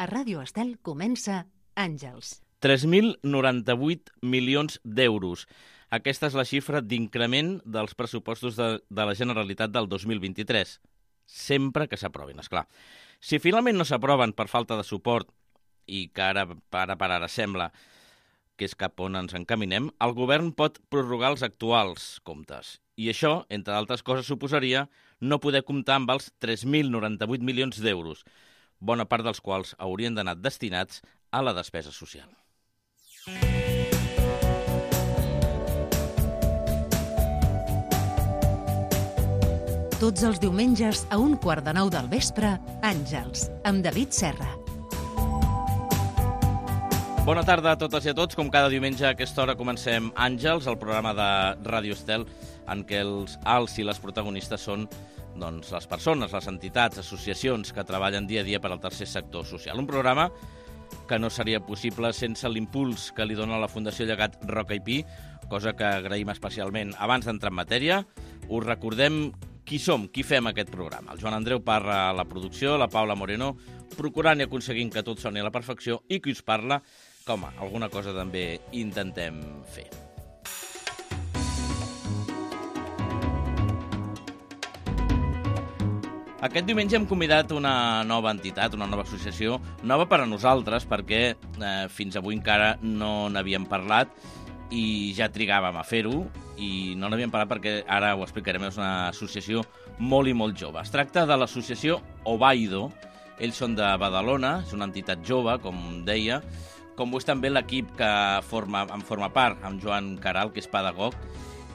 A Ràdio Estel comença Àngels. 3.098 milions d'euros. Aquesta és la xifra d'increment dels pressupostos de la Generalitat del 2023. Sempre que s'aprovin, esclar. Si finalment no s'aproven per falta de suport, i que ara per ara sembla que és cap on ens encaminem, el govern pot prorrogar els actuals comptes. I això, entre altres coses, suposaria no poder comptar amb els 3.098 milions d'euros, bona part dels quals haurien d'anar destinats a la despesa social. Tots els diumenges a 8:45 del vespre, Àngels, amb David Serra. Bona tarda a totes i a tots. Com cada diumenge a aquesta hora comencem Àngels, el programa de Ràdio Estel, en què els i les protagonistes són les persones, les entitats, associacions que treballen dia a dia per al tercer sector social. Un programa que no seria possible sense l'impuls que li dona la Fundació Llegat Roca i Pi, cosa que agraïm especialment. Abans d'entrar en matèria, us recordem qui som, qui fem aquest programa. El Joan Andreu Parra a la producció, la Paula Moreno procurant i aconseguint que tot soni a la perfecció, i qui us parla, que home, alguna cosa també intentem fer. Aquest diumenge hem convidat una nova entitat, una nova associació, nova per a nosaltres, perquè fins avui encara no n'havíem parlat i ja trigàvem a fer-ho, i no n'havíem parlat perquè ara ho explicarem, és una associació molt i molt jove. Es tracta de l'associació Ovaido. Ells són de Badalona, és una entitat jove, com deia, com ho és també l'equip que en forma part, amb Joan Caral, que és pedagog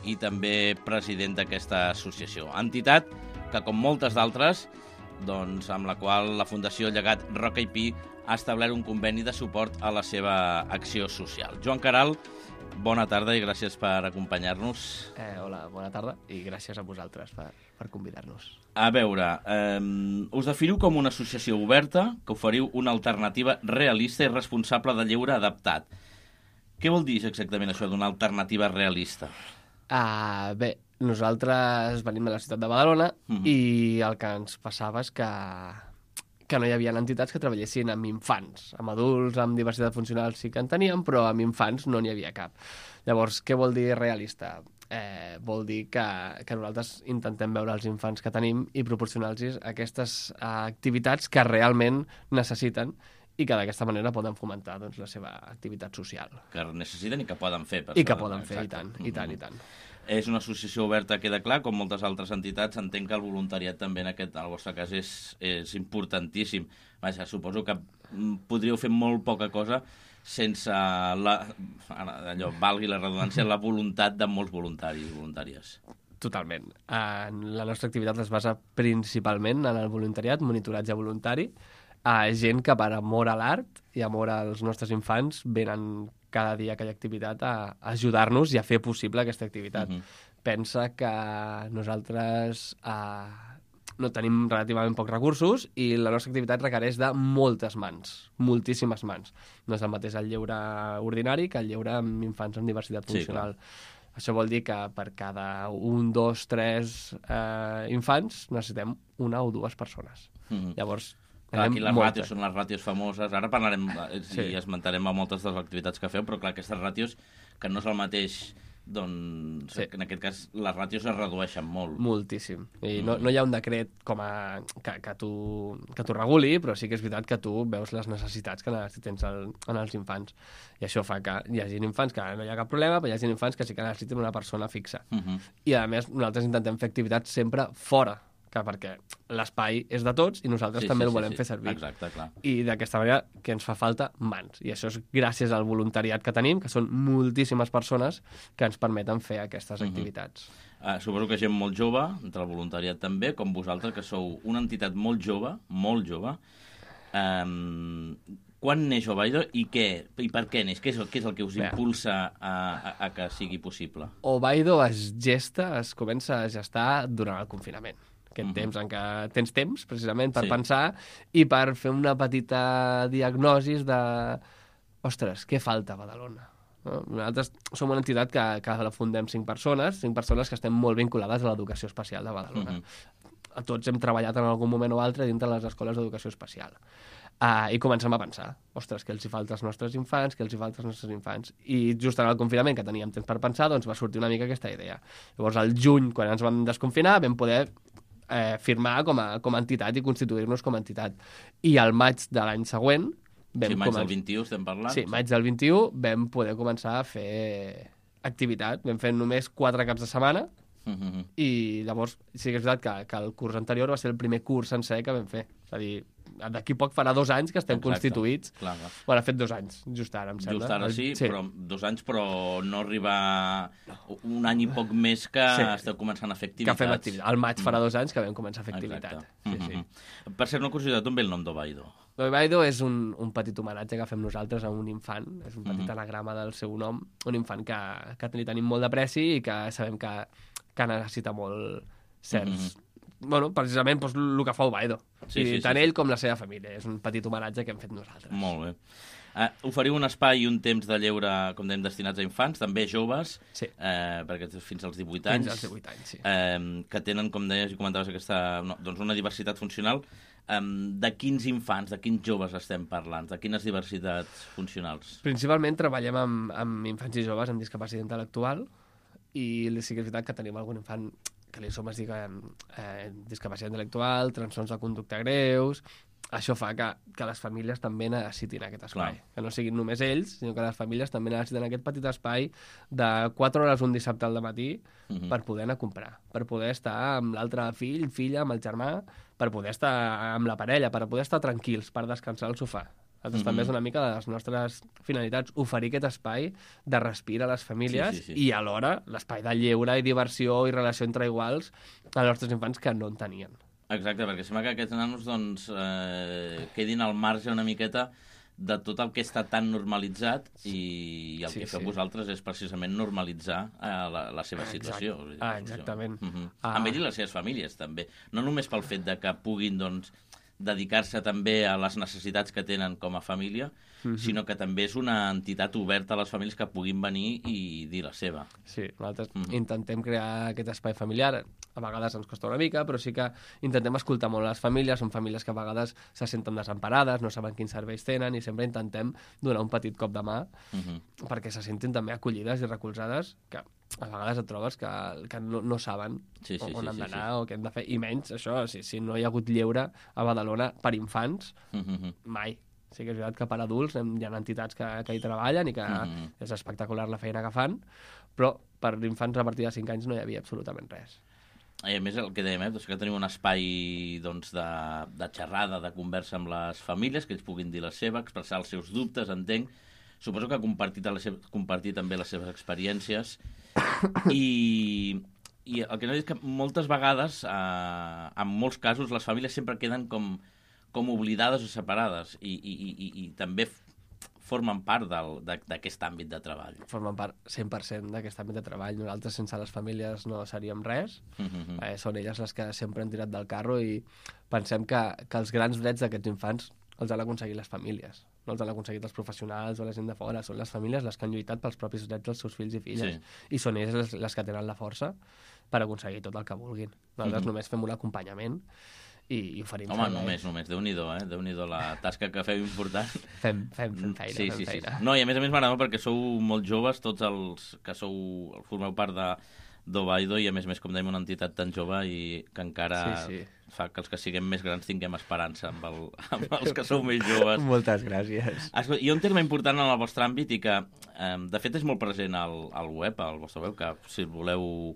i també president d'aquesta associació. Entitat que, com moltes d'altres, amb la qual la Fundació Llegat Roca i Pi ha establert un conveni de suport a la seva acció social. Joan Caral, bona tarda i gràcies per acompanyar-nos. Hola, bona tarda i gràcies a vosaltres per convidar-nos. A veure, us definiu com una associació oberta que oferiu una alternativa realista i responsable de lleure adaptat. Què vol dir exactament això d'una alternativa realista? Bé, nosaltres venim de la ciutat de Badalona i el que ens passava és que no hi havia entitats que treballessin amb infants. Amb adults, amb diversitat funcional sí que en teníem, però amb infants no n'hi havia cap. Llavors, què vol dir realista? Vol dir que nosaltres intentem veure els infants que tenim i proporcionar-los aquestes activitats que realment necessiten i que d'aquesta manera poden fomentar la seva activitat social. Que necessiten i que poden fer. I que poden fer, i tant. És una associació oberta, queda clar, com moltes altres entitats. Entenc que el voluntariat també en el vostre cas és importantíssim. Vaja, suposo que podríeu fer molt poca cosa sense valgui la redundància, la voluntat de molts voluntaris i voluntàries. Totalment. La nostra activitat es basa principalment en el voluntariat, monitoratge voluntari, gent que per amor a l'art i amor als nostres infants venen cada dia a aquella activitat a ajudar-nos i a fer possible aquesta activitat. Pensa que nosaltres no tenim relativament pocs recursos i la nostra activitat requereix de moltes mans, moltíssimes mans. No és el mateix el lleure ordinari que el lleure amb infants amb diversitat funcional. Sí, això vol dir que per cada 1, 2, 3 infants necessitem 1 o 2 persones. Llavors, aquí les ràtios són les ràtios famoses. Ara parlarem i esmentarem a moltes de les activitats que feu, però clar, aquestes ràtios, que no és el mateix, en aquest cas les ràtios es redueixen molt. Moltíssim. I no hi ha un decret que t'ho reguli, però sí que és veritat que tu veus les necessitats que tens en els infants. I això fa que hi hagi infants que no hi ha cap problema, però hi hagi infants que sí que necessiten una persona fixa. I a més, nosaltres intentem fer activitats sempre fora, perquè l'espai és de tots i nosaltres també el volem fer servir. Exacte, clar. I d'aquesta manera que ens fa falta mans. I això és gràcies al voluntariat que tenim, que són moltíssimes persones que ens permeten fer aquestes activitats. Suposo que gent molt jove, entre el voluntariat també, com vosaltres, que sou una entitat molt jove, molt jove. Quan neix Ovaido i per què neix? Què és el que us impulsa a que sigui possible? Ovaido es comença a gestar durant el confinament. Aquest temps en què tens temps, precisament, per pensar i per fer una petita diagnosi de ostres, què falta a Badalona? Nosaltres som una entitat que la fundem 5 persones que estem molt vinculades a l'educació especial de Badalona. Tots hem treballat en algun moment o altre dintre de les escoles d'educació especial. I comencem a pensar, ostres, què els hi falta als nostres infants, què els hi falta als nostres infants. I just en el confinament, que teníem temps per pensar, doncs va sortir una mica aquesta idea. Llavors, al juny, quan ens vam desconfinar, vam poder firmar com a entitat i constituir-nos com a entitat. I al maig de l'any següent... maig del 21 estem parlant? Sí, maig del 21 vam poder començar a fer activitat. Vam fer només 4 caps de setmana i llavors sí que és veritat que el curs anterior va ser el primer curs sencer que vam fer. És a dir, d'aquí poc farà 2 anys que estem constituïts. Clar. Bueno, ha fet 2 anys, just ara, em sembla. Just ara sí, però 2 anys, però no arriba un any i poc més que esteu començant a fer activitats. Que fem activitats. Al maig farà 2 anys que vam començar a fer activitat. Sí. Per cert, una curiositat, d'on ve el nom d'Ovaido? L'Ovaido és un petit homenatge que fem nosaltres a un infant, és un petit anagrama del seu nom, un infant que li tenim molt d'apreci i que sabem que necessita molt certs... Bueno, precisament doncs, el que fa Ovaido. Tant ell com la seva família. És un petit homenatge que hem fet nosaltres. Molt bé. Oferiu un espai i un temps de lleure, com dèiem, destinats a infants, també joves, perquè fins als 18 anys. Fins als 18 anys, sí. Que tenen, com deies i comentaves, una diversitat funcional. De quins infants, de quins joves estem parlant? De quines diversitats funcionals? Principalment treballem amb infants i joves amb discapacitat intel·lectual i sí que és veritat que tenim algun infant que li som es diguen discapacitat intel·lectual, trastorns de conducta greus. Això fa que les famílies també necessitin aquest espai. Clar. Que no siguin només ells, sinó que les famílies també necessiten aquest petit espai de 4 hores un dissabte al matí per poder anar a comprar, per poder estar amb l'altre fill, filla, amb el germà, per poder estar amb la parella, per poder estar tranquils, per descansar al sofà. També és una mica de les nostres finalitats, oferir aquest espai de respir a les famílies i alhora l'espai de lleure i diversió i relació entre iguals als nostres infants que no en tenien. Exacte, perquè sembla que aquests nanos doncs, quedin al marge una miqueta de tot el que està tan normalitzat i el que feu vosaltres és precisament normalitzar la seva situació. Exactament. Amb ells i les seves famílies, també. No només pel fet de que puguin doncs, dedicar-se també a les necessitats que tenen com a família, sinó que també és una entitat oberta a les famílies que puguin venir i dir la seva. Sí, nosaltres intentem crear aquest espai familiar. A vegades ens costa una mica, però sí que intentem escoltar molt les famílies. Són famílies que a vegades se senten desemparades, no saben quins serveis tenen, i sempre intentem donar un petit cop de mà perquè se sentin també acollides i recolzades, que a vegades et trobes que no saben on han d'anar o què han de fer, i menys això, si no hi ha hagut lleure a Badalona per infants, mai. Sí que és veritat que per adults hi ha entitats que hi treballen i que és espectacular la feina que fan, però per infants a partir de 5 anys no hi havia absolutament res. I a més el que dèiem, que tenim un espai de xerrada, de conversa amb les famílies, que ells puguin dir la seva, expressar els seus dubtes, entenc. Suposo que compartir també les seves experiències. I el que no dic és que moltes vegades, en molts casos, les famílies sempre queden com oblidades o separades i també formen part d'aquest àmbit de treball. Formen part 100% d'aquest àmbit de treball. Nosaltres sense les famílies no seríem res. Són elles les que sempre han tirat del carro i pensem que els grans drets d'aquests infants els han aconseguit les famílies. No els han aconseguit els professionals o la gent de fora. Són les famílies les que han lluitat pels propis drets dels seus fills i filles. I són elles les que tenen la força per aconseguir tot el que vulguin. Nosaltres només fem un acompanyament i oferim serveis. Només. Déu-n'hi-do, Déu-n'hi-do la tasca que feu important. Fem feina, fem feina. No, i a més m'agrada perquè sou molt joves, tots els que formeu part d'Ovaido, i a més, com dèiem, una entitat tan jove i que encara fa que els que siguem més grans tinguem esperança amb els que sou més joves. Moltes gràcies. Hi ha un terme important en el vostre àmbit i que, de fet, és molt present al web, al vostre web, que si el voleu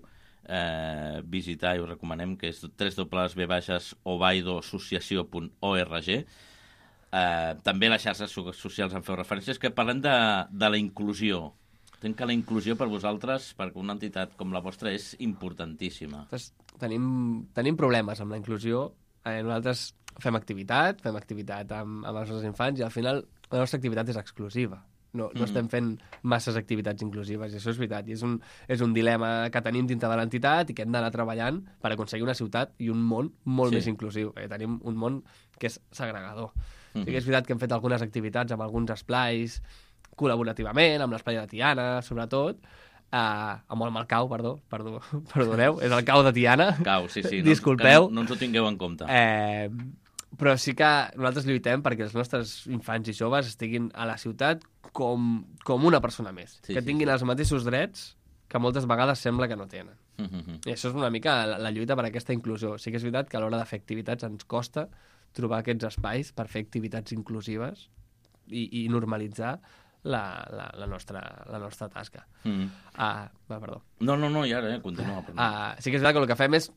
visitar i us recomanem, que és www.ovaidoassociació.org. També les xarxes socials en feu referències, que parlem de la inclusió. Entenc que la inclusió per vosaltres, perquè una entitat com la vostra, és importantíssima. Tenim problemes amb la inclusió. Nosaltres fem activitat amb els nostres infants i al final la nostra activitat és exclusiva. No estem fent masses activitats inclusives, i això és veritat. I és un dilema que tenim dintre de l'entitat i que hem d'anar treballant per aconseguir una ciutat i un món molt més inclusiu. Tenim un món que és segregador. Sí que és veritat que hem fet algunes activitats amb alguns esplais col·laborativament, amb l'esplai de Tiana, sobretot, amb el cau, perdoneu, és el cau de Tiana. Cau, sí. Disculpeu. No ens ho tingueu en compte. Però sí que nosaltres lluitem perquè els nostres infants i joves estiguin a la ciutat com una persona més. Que tinguin els mateixos drets que moltes vegades sembla que no tenen. I això és una mica la lluita per aquesta inclusió. Sí que és veritat que a l'hora de fer activitats ens costa trobar aquests espais per fer activitats inclusives i normalitzar la nostra tasca. Perdó. No, i ara, continua. Sí que és veritat que el que fem és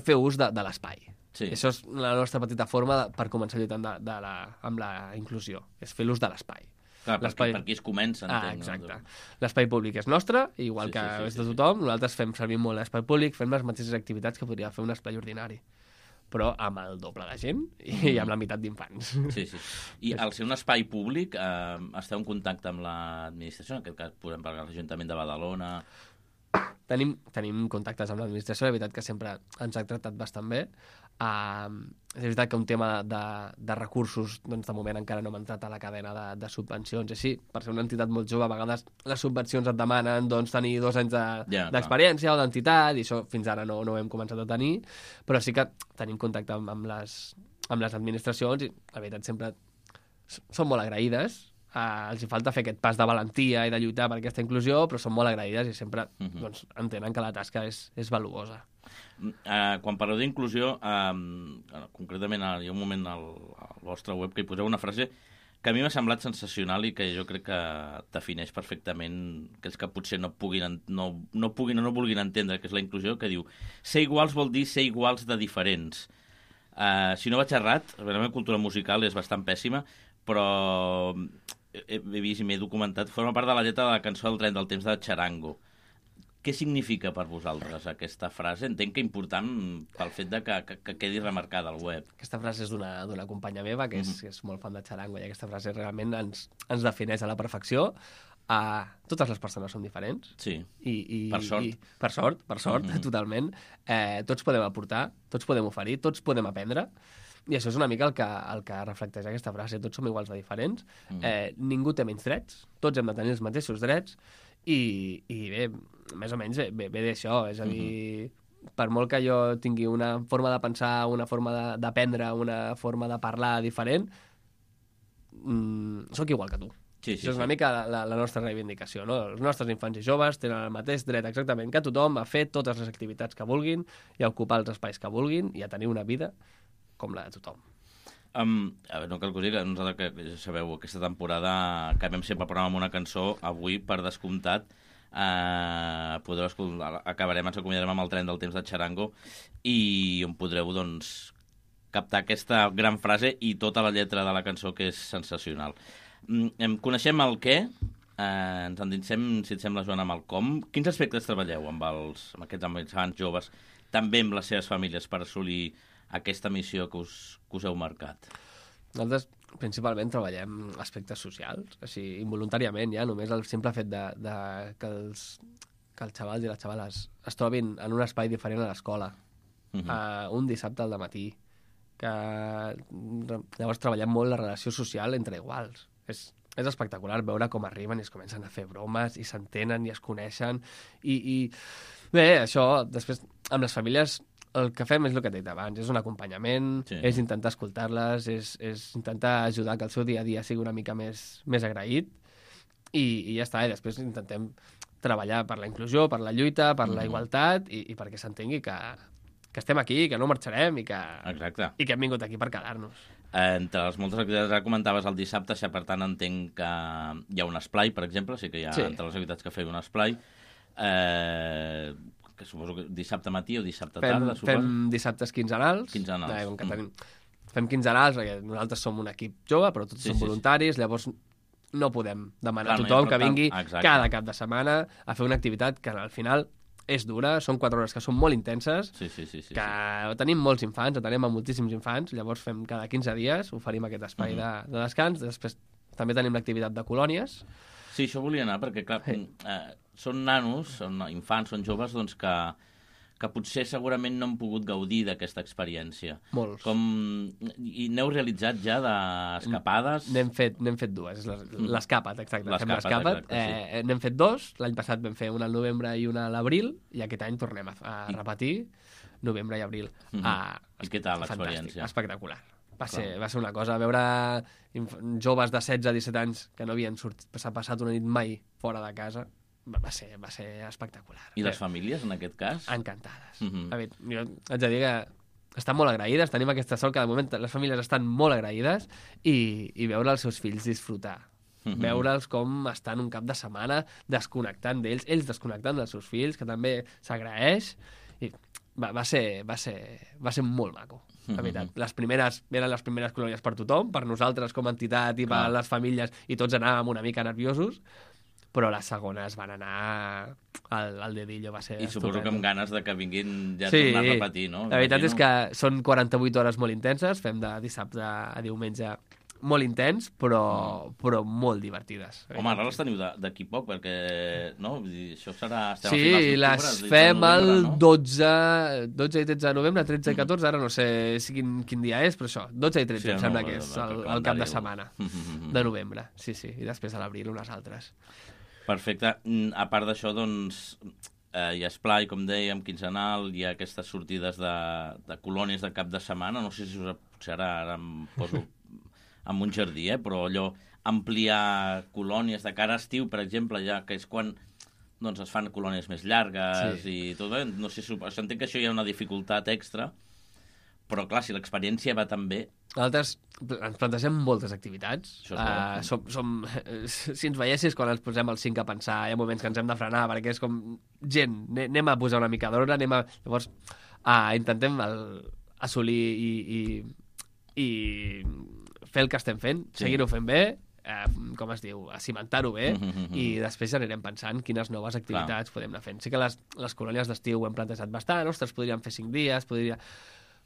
fer ús de l'espai. Sí. Això és la nostra petita forma per començar lluitant amb la inclusió, és fer l'ús de l'espai. Clar, per aquí es comença, entenc. Exacte. L'espai públic és nostre, igual que és de tothom. Nosaltres fem servir molt l'espai públic, fem les mateixes activitats que podria fer un espai ordinari, però amb el doble de gent i amb la meitat d'infants. Sí. I al ser un espai públic, esteu en contacte amb l'administració? En aquest cas, podem parlar de l'Ajuntament de Badalona... Tenim contactes amb l'administració, la veritat que sempre ens ha tractat bastant bé. És veritat que un tema de recursos, doncs de moment encara no hem entrat a la cadena de subvencions. Així, per ser una entitat molt jove, a vegades les subvencions et demanen tenir 2 anys d'experiència o d'entitat, i això fins ara no ho hem començat a tenir, però sí que tenim contacte amb les administracions i la veritat sempre són molt agraïdes. Els hi falta fer aquest pas de valentia i de lluitar per aquesta inclusió, però són molt agraïdes i sempre entenen que la tasca és valuosa. Quan parleu d'inclusió, concretament hi ha un moment al vostre web que hi poseu una frase que a mi m'ha semblat sensacional i que jo crec que defineix perfectament aquells que potser no puguin o no vulguin entendre què és la inclusió, que diu: ser iguals vol dir ser iguals de diferents. Si no vaig errat, la meva cultura musical és bastant pèssima, però he vist i m'he documentat, forma part de la lletra de la cançó del Tren del Temps de Txarango. Què significa per vosaltres aquesta frase? Entenc que important pel fet de que quedi remarcada al web. Aquesta frase és d'una companya meva que és molt fan de Txarango, i aquesta frase realment ens defineix a la perfecció. Totes les persones són diferents. Sí, per sort. Per sort, totalment. Tots podem aportar, tots podem oferir, tots podem aprendre. I això és una mica el que reflecteix aquesta frase. Tots som iguals de diferents, ningú té menys drets, tots hem de tenir els mateixos drets, i bé, més o menys ve d'això. És a dir, per molt que jo tingui una forma de pensar, una forma d'aprendre, una forma de parlar diferent, sóc igual que tu. Això és una mica la nostra reivindicació, no? Els nostres infants i joves tenen el mateix dret exactament que tothom a fer totes les activitats que vulguin i a ocupar els espais que vulguin i a tenir una vida com la de tothom. No cal que us digui, nosaltres, que ja sabeu, aquesta temporada acabem sempre el programa amb una cançó. Avui, per descomptat, podreu escoltar, ens acomiadarem amb el Tren del Temps de Txarango, i on podreu, doncs, captar aquesta gran frase i tota la lletra de la cançó, que és sensacional. Coneixem el què, ens endinsem, si et sembla, Joan, amb el com. Quins aspectes treballeu amb aquests infants joves, també amb les seves famílies, per assolir aquesta missió que us heu marcat? Nosaltres principalment treballem aspectes socials, així involuntàriament ja, només el simple fet que els xavals i les xavales es trobin en un espai diferent a l'escola, un dissabte al dematí, que llavors treballem molt la relació social entre iguals. És espectacular veure com arriben i es comencen a fer bromes i s'entenen i es coneixen i bé, això després amb les famílies el que fem és el que t'he dit abans, és un acompanyament, és intentar escoltar-les, és intentar ajudar que el seu dia a dia sigui una mica més agraït i ja està, i després intentem treballar per la inclusió, per la lluita, per la igualtat i perquè s'entengui que estem aquí, que no marxarem i que hem vingut aquí per quedar-nos. Entre les moltes activitats, ara comentaves el dissabte, per tant entenc que hi ha un esplai, per exemple, sí que hi ha entre les activitats que feu un esplai, que suposo que dissabte matí o dissabte tarda, suposo. Fem dissabtes quinzenals. Fem quinzenals, perquè nosaltres som un equip jove, però tots som voluntaris, llavors no podem demanar a tothom que vingui cada cap de setmana a fer una activitat que al final és dura, són 4 hores que són molt intenses, que tenim molts infants, atenem a moltíssims infants, llavors fem cada 15 dies, oferim aquest espai de descans, després també tenim l'activitat de colònies. Sí, això volia anar, perquè clar, són nanos, són infants, són joves, doncs que potser segurament no han pogut gaudir d'aquesta experiència. Molts. I n'heu realitzat ja d'escapades? N'hem fet 2, l'escapat, exacte. N'hem fet 2, l'any passat vam fer una al novembre i una a l'abril, i aquest any tornem a repetir novembre i abril. I què tal l'experiència? Espectacular. va ser una cosa. Veure joves de 16 a 17 anys que no havien passat una nit mai fora de casa va ser espectacular. I les famílies, en aquest cas? Encantades. A veure, jo haig de dir que estan molt agraïdes, tenim aquesta sort que de moment les famílies estan molt agraïdes i veure els seus fills disfrutar. Veure'ls com estan un cap de setmana desconnectant d'ells, ells desconnectant dels seus fills, que també s'agraeix, i va ser molt maco, la veritat. Eren les primeres colònies per tothom, per nosaltres com a entitat i per les famílies, i tots anàvem una mica nerviosos, però les segones van anar al dedillo, va ser I suposo que amb ganes de que vinguin ja a sí, tornar a repetir, no? La veritat és que són 48 hores molt intenses, fem de dissabte a diumenge molt intens, però molt divertides. Home, ara les teniu d'aquí poc, perquè no? Vull dir, això serà... Sí, les fem el 12 i 13 de novembre, 13 i 14, ara no sé quin dia és, però això, 12 i 13 em sembla que és el cap de setmana de novembre. Sí, i després a l'abril unes altres. Perfecte. A part d'això, doncs, hi ha esplai, com dèiem, quinzenal, hi ha aquestes sortides de colònies de cap de setmana, no sé si potser ara em poso amb un jardí, però allò, ampliar colònies de cara a estiu, per exemple, ja que és quan doncs, es fan colònies més llargues i tot, no sé, entenc que això hi ha una dificultat extra, però clar, si l'experiència va tan bé... Nosaltres ens plantegem moltes activitats. Si ens veiessis quan ens posem els 5 a pensar, hi ha moments que ens hem de frenar, perquè és com gent, anem a posar una mica d'ordre, llavors intentem assolir i fer el que estem fent, seguir-ho fent bé, com es diu, cimentar-ho bé, i després ja anirem pensant quines noves activitats podem anar fent. Sí que les colònies d'estiu ho hem plantejat bastant, ostres, podríem fer 5 dies,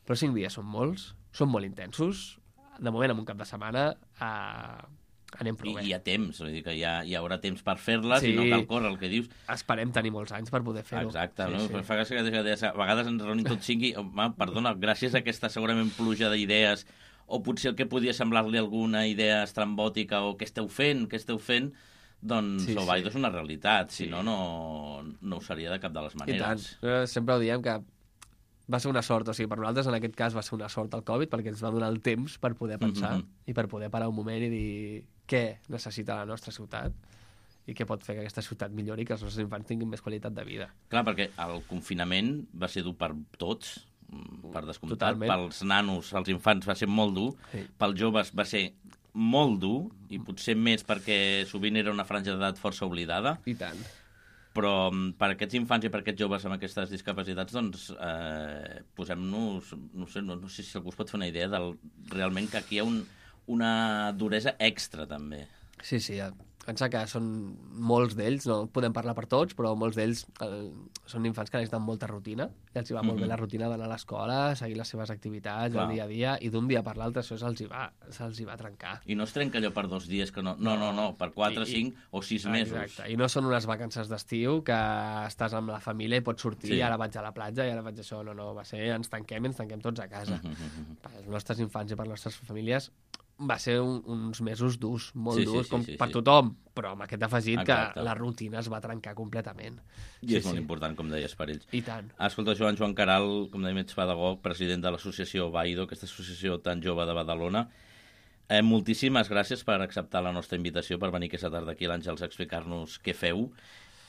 però 5 dies són molts, són molt intensos, de moment en un cap de setmana anem prou bé. I hi ha temps, vull dir que hi haurà temps per fer-les i no cal córrer, el que dius. Esperem tenir molts anys per poder fer-ho. Exacte, no? Fa gràcia que a vegades ens reunim tots 5 i, perdona, gràcies a aquesta segurament pluja d'idees, o potser el que podia semblar-li alguna idea estrambòtica o què esteu fent, doncs Ovaido és una realitat, si no ho seria de cap de les maneres. I tant, sempre ho diem que va ser una sort, o sigui, per nosaltres en aquest cas va ser una sort el Covid perquè ens va donar el temps per poder pensar i per poder parar un moment i dir què necessita la nostra ciutat i què pot fer que aquesta ciutat millori i que els nostres infants tinguin més qualitat de vida. Clar, perquè el confinament va ser dur per tots, per descomptat. Pels nanos, els infants, va ser molt dur. Pels joves va ser molt dur, i potser més perquè sovint era una franja d'edat força oblidada. I tant. Però per aquests infants i per aquests joves amb aquestes discapacitats, doncs, posem-nos... No sé si algú es pot fer una idea del realment que aquí hi ha una duresa extra, també. Sí, pensa que són molts d'ells, no podem parlar per tots, però molts d'ells són infants que necessiten molta rutina, i els va molt bé la rutina d'anar a l'escola, seguir les seves activitats, el dia a dia, i d'un dia per l'altre això se'ls va trencar. I no es trenca allò per 2 dies, que no, per 4, 5 o 6 mesos. Exacte, i no són unes vacances d'estiu que estàs amb la família i pots sortir, ara vaig a la platja, i ara vaig a això, va ser ens tanquem tots a casa. Per als nostres infants i per les nostres famílies va ser uns mesos durs, molt durs, com per tothom, però amb aquest afegit que la rutina es va trencar completament. I és molt important, com deies, per ells. I tant. Escolta, Joan Caral, com dèiem, ets pedagog, president de l'associació Ovaido, aquesta associació tan jove de Badalona. Moltíssimes gràcies per acceptar la nostra invitació, per venir aquesta tarda aquí a l'Àngels a explicar-nos què feu,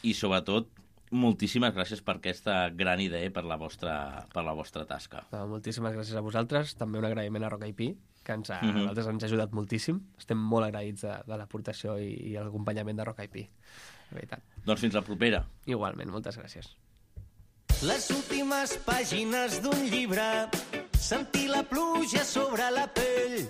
i sobretot moltíssimes gràcies per aquesta gran idea i per la vostra tasca. Moltíssimes gràcies a vosaltres, també un agraïment a Roca IP, que a nosaltres ens ha ajudat moltíssim. Estem molt agraïts de l'aportació i l'acompanyament de Roca IP, la veritat. Doncs fins la propera. Igualment, moltes gràcies. Les últimes pàgines d'un llibre, sentir la pluja sobre la pell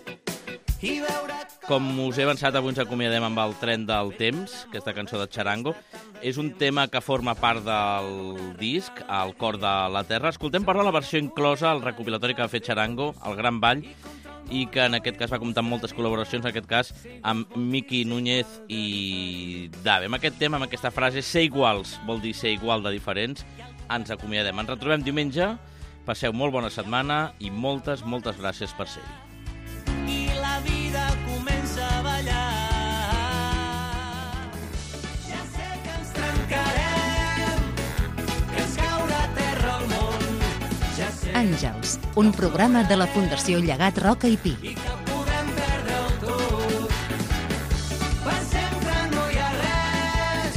i veure... Com us he avançat, avui ens acomiadem amb el Tren del Temps, aquesta cançó de Charango. És un tema que forma part del disc, El cor de la terra. Escoltem per la versió inclosa al recopilatori que va fer Charango, El Gran Ball, i que en aquest cas va comptar amb moltes col·laboracions, en aquest cas amb Miki Núñez i Dave. Amb aquest tema, amb aquesta frase, ser iguals vol dir ser igual de diferents, ens acomiadem. Ens retrobem diumenge, passeu molt bona setmana i moltes gràcies per ser-hi. I la vida comença a ballar. Ja sé que ens trencarem, que ens caurà a terra el món. Ja sé Àngels, un programa de la Fundació Llegat Roca i Pi. I que podem perdre-ho tot. Per sempre no hi ha res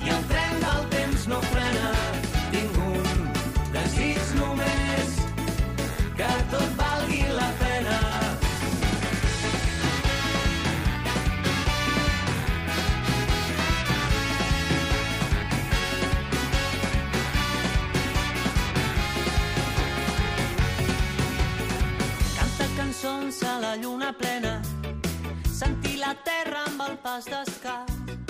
i el tren del temps no frena. Tinc un desig només, que tot valgui la pena. Cançons a la lluna plena, sentir la terra amb el pas d'escàs.